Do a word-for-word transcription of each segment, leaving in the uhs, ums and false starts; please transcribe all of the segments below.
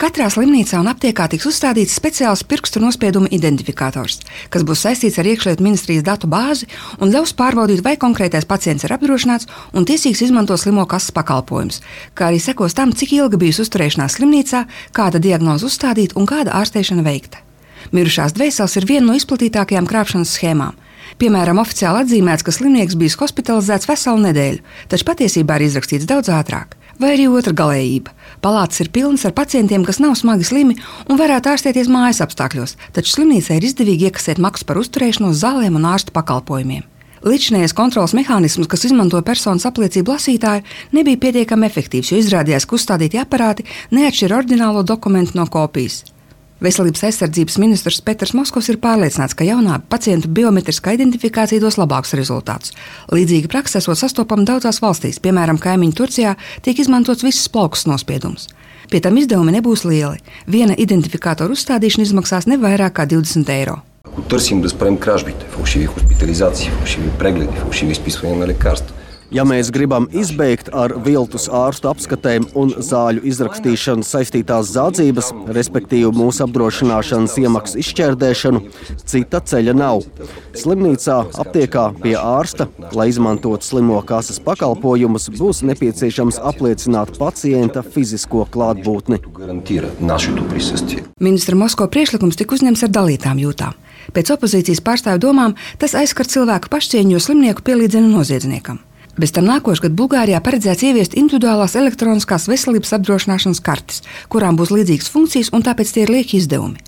Katrā slimnīcā un aptiekā tiks uzstādīts speciāls pirkstu nospiedumu identifikators, kas būs saistīts ar iekšlietu ministrijas datu bāzi un ļaus pārbaudīt, vai konkrētais pacients ir apdrošināts un tiesīgs izmantot slimo kases pakalpojumus, kā arī sekos tam, cik ilga bijusi uzturēšanās slimnīcā, kāda diagnoze uzstādīta un kāda ārstēšana veikta. Mirušās dvēseles ir viena no izplatītākajām krāpšanas schēmām. Piemēram, oficiāli atzīmēts, ka slimnieks bijis hospitalizēts veselu nedēļu, taču patiesībā ir izrakstīts daudz ātrāk. Vai arī otra galējība. Palātas ir pilnas ar pacientiem, kas nav smagi slimi un varētu ārstēties mājas apstākļos, taču slimnīcai ir izdevīgi iekasēt maksu par uzturēšanos, zālēm un ārstu pakalpojumiem. Līdzinējais kontroles mehānisms, kas izmantoja personas apliecību lasītāju, nebija pietiekami efektīvs, jo izrādījās, ka uzstādītie aparāti neatšķir oriģinālo dokumentu no kopijas. Veselības aizsardzības ministrs Peters Moskvs ir pārliecināts, ka jaunā pacientu biometriskā identifikācija dos labākus rezultātus. Līdzīga praksa esot sastopama daudzās valstīs, piemēram, kaimiņu Turcijā tiek izmantots visas plaukstas nospiedums. Pie tam izdevumi nebūs lieli. Viena identifikātora uzstādīšana izmaksās ne vairāk kā divdesmit eiro. Ако търсим да спрем кражбите, фалшиви хоспитализации, фалшиви прегледи, фалшиви изписвания на лекарства. Ja mēs gribam izbeigt ar viltus ārstu apskatēm un zāļu izrakstīšanu saistītās zādzības, respektīvi mūsu apdrošināšanas iemaksu izšķērdēšanu, cita ceļa nav. Slimnīcā, aptiekā pie ārsta, lai izmantotu slimo kases pakalpojumus, būs nepieciešams apliecināt pacienta fizisko klātbūtni. Ministra Moskva priekšlikums tika uzņemts ar dalītām jūtām. Pēc opozīcijas pārstāvju domām tas aizskar cilvēku pašcieņu, jo slimnieku pielīdzina noziedzniekam. Bez tam nākošgad Bulgārijā paredzēts ieviest individuālās elektroniskās veselības apdrošināšanas kartes, kurām būs līdzīgas funkcijas un tāpēc tie ir lieki izdevumi.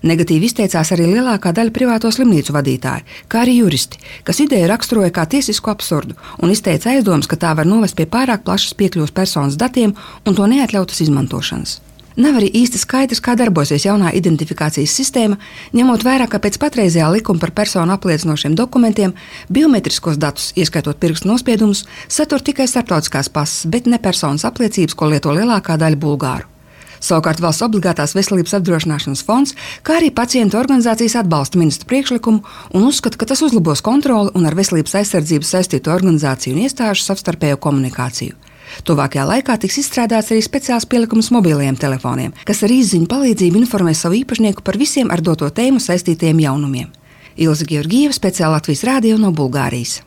Negatīvi izteicās arī lielākā daļa privāto slimnīcu vadītāju, kā arī juristi, kas ideju raksturoja kā tiesisku absurdu un izteica aizdomas, ka tā var novest pie pārāk plašas piekļuves personas datiem un to neatļautas izmantošanas. Nav arī īsti skaidrs, kā darbosies jaunā identifikācijas sistēma, ņemot vērā, ka pēc patreizējā likuma par personu apliecinošiem dokumentiem biometriskos datus, ieskaitot pirkstu nospiedumus, satur tikai starptautiskās pases, bet ne personas apliecības, ko lieto lielākā daļa bulgāru. Savukārt valsts obligātās veselības apdrošināšanas fonds, kā arī pacientu organizācijas atbalsta ministra priekšlikumu un uzskata, ka tas uzlabos kontroli un ar veselības aizsardzības saistīto organizāciju un iestāžu savstarpējo komunikāciju. Tuvākajā laikā tiks izstrādāts arī speciāls pielikums mobilajiem telefoniem, kas ar izziņu palīdzību informēs savu īpašnieku par visiem ar doto tēmu saistītajiem jaunumiem. Ilze Georgieva, speciāli Latvijas Rādio no Bulgārijas.